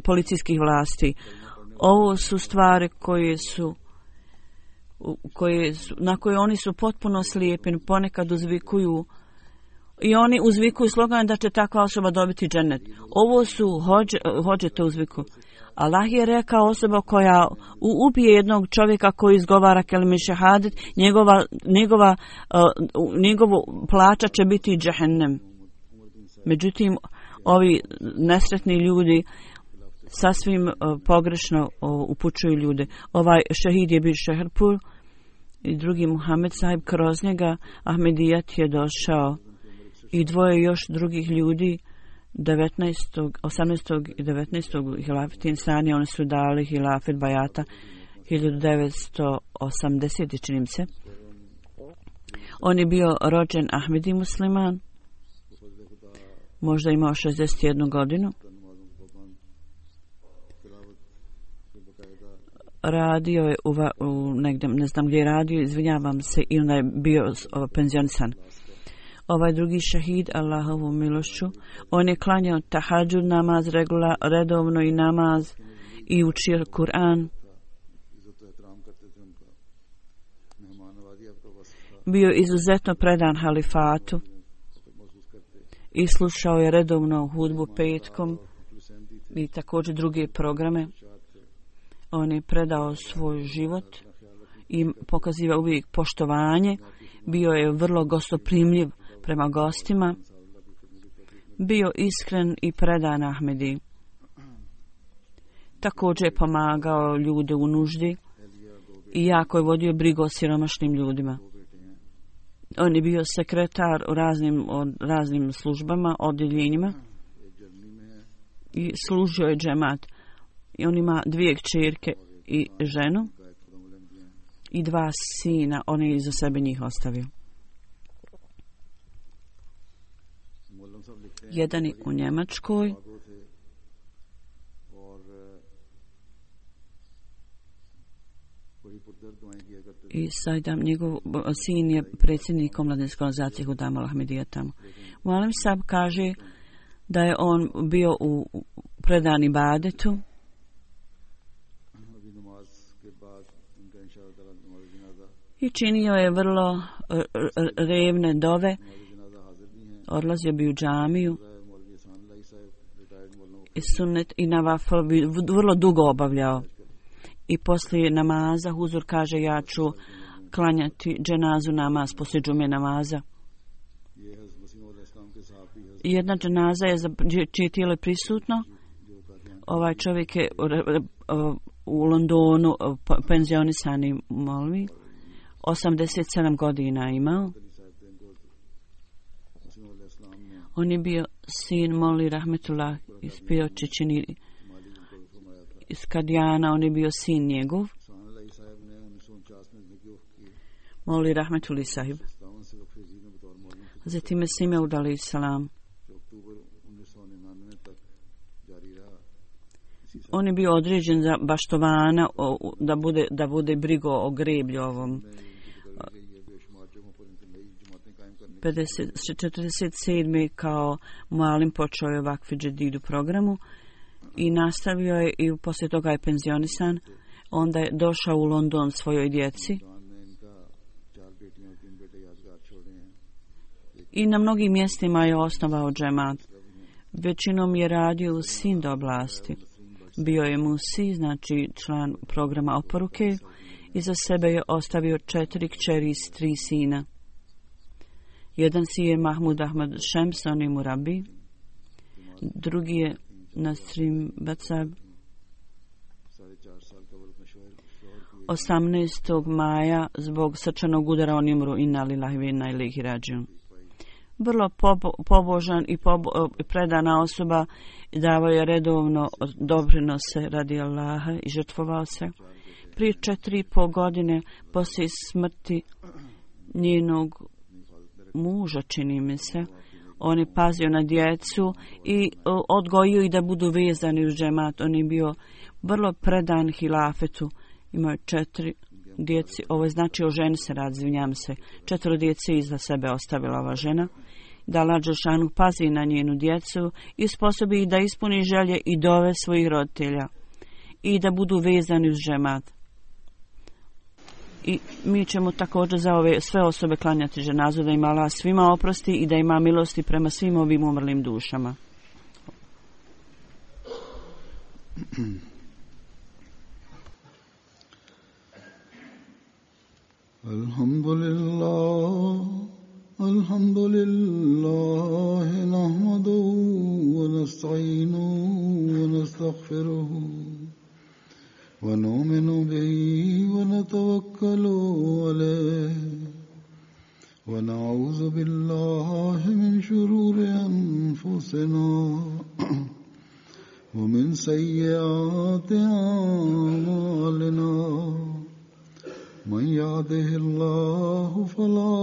policijskih vlasti. Ovo su stvari na koje oni su potpuno slijepi, ponekad uzvikuju i oni uzvikuju slogan da će takva osoba dobiti džennet. Ovo su hođe to uzviku. Allah je rekao, osoba koja ubije jednog čovjeka koji izgovara kelime šehadet, njegovo plaća će biti džehennem. Međutim, ovi nesretni ljudi sasvim pogrešno upućuju ljude. Ovaj šehid je bio Šeherpur i drugi Muhammed Sahib, kroz njega Ahmedijat je došao i dvoje još drugih ljudi 18. i 19. hilafet insani, oni su dali hilafet bajata 1980. čini se. On je bio rođen Ahmedi musliman, možda imao 61 godinu. Radio je negdje, ne znam gdje je radio, izvinjavam se, i onda je bio penzionisan. Ovaj drugi šehid, Allahovu milošću, on je klanjao tahadžud namaz redovno i namaz i učio Kur'an. Bio izuzetno predan halifatu i slušao je redovno hudbu petkom i također druge programe. On je predao svoj život i pokazivao uvijek poštovanje. Bio je vrlo gostoprimljiv prema gostima. Bio iskren i predan Ahmedi. Također je pomagao ljude u nuždi i jako je vodio brigu o siromašnim ljudima. On je bio sekretar u raznim službama, odjeljenjima i služio je džemat. I on ima 2 kćerke i ženu i 2 sina. On je iza sebe njih ostavio. Jedan je u Njemačkoj. I Sajdam, njegov sin je predsjednik omladinske organizacije Hudama Al-Ahmedija tamo. Mualim Sab kaže da je on bio u predani ibadetu i činio je vrlo revne dove. Odlazio bi u džamiju i sunnet i navafl bi vrlo dugo obavljao. I poslije namaza huzur kaže ja ću klanjati dženazu namaz poslije džume namaza. Jedna dženaza je čije tijelo je prisutno. Ovaj čovjek je u Londonu penzionisani molvi. 87 godina imao. On je bio sin Moli Rahmetullah iz Piočićini iz Kadijana, on je bio sin njegov. Moli Rahmetullah sahib. Zatim je Simeud alaih salam. On je bio određen za baštovana da bude brigo o greblju ovom. 47. kao malim počeo je Vakfi Džedidu programu i nastavio je i poslije toga je penzionisan. Onda je došao u London svojoj djeci i na mnogim mjestima je osnovao džemat. Većinom je radio u Sind oblasti. Bio je Musi, znači član programa oporuke. Iza sebe je ostavio 4 kćeri i 3 sina. Jedan si je Mahmud Ahmad Šems, on je murabi. Drugi je Nasrim Bacab. 18. maja zbog srčanog udara on je umro, inna lillahi wa inna ilaihi rađiun. Vrlo pobožan i predana osoba, davao je redovno doprinose radi Allaha i žrtvovao se. Prije 4,5 godine poslije smrti njenog muža, čini mi se, on je pazio na djecu i odgojio ih da budu vezani uz džemat. On je bio vrlo predan hilafetu. Imao je 4 djeci. Ovo je znači o ženi se radi, izvinjam se. 4 djece iza sebe ostavila ova žena. Da Allah dželešanu pazi na njenu djecu i sposobi da ispuni želje i dove svojih roditelja i da budu vezani uz džemat. I mi ćemo također za ove sve osobe klanjati dženazu, da im Allah svima oprosti i da ima milosti prema svim ovim umrlim dušama. Alhamdulillah, nahmaduhu wa nasta'inuhu wa nastaghfiruhu. ونؤمن به ونتوكل عليه ونعوذ بالله من شرور أنفسنا ومن سيئات أعمالنا من يهده الله فلا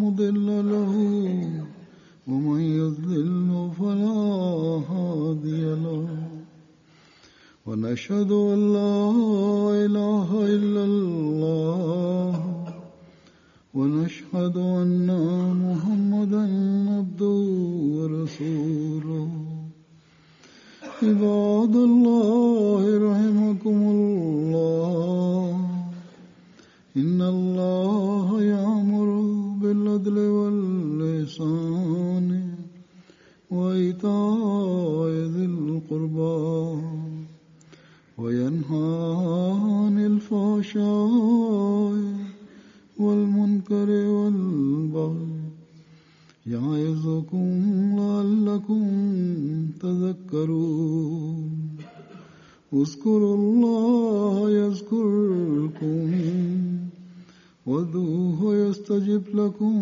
مضل له ومن يضلل فلا هادي له ونشهد أن لا إله إلا الله ونشهد أن محمدا عبده ورسوله عباد الله رحمكم الله إن الله يأمر بالعدل والإحسان اذكروا الله يذكركم وادعوه يستجب لكم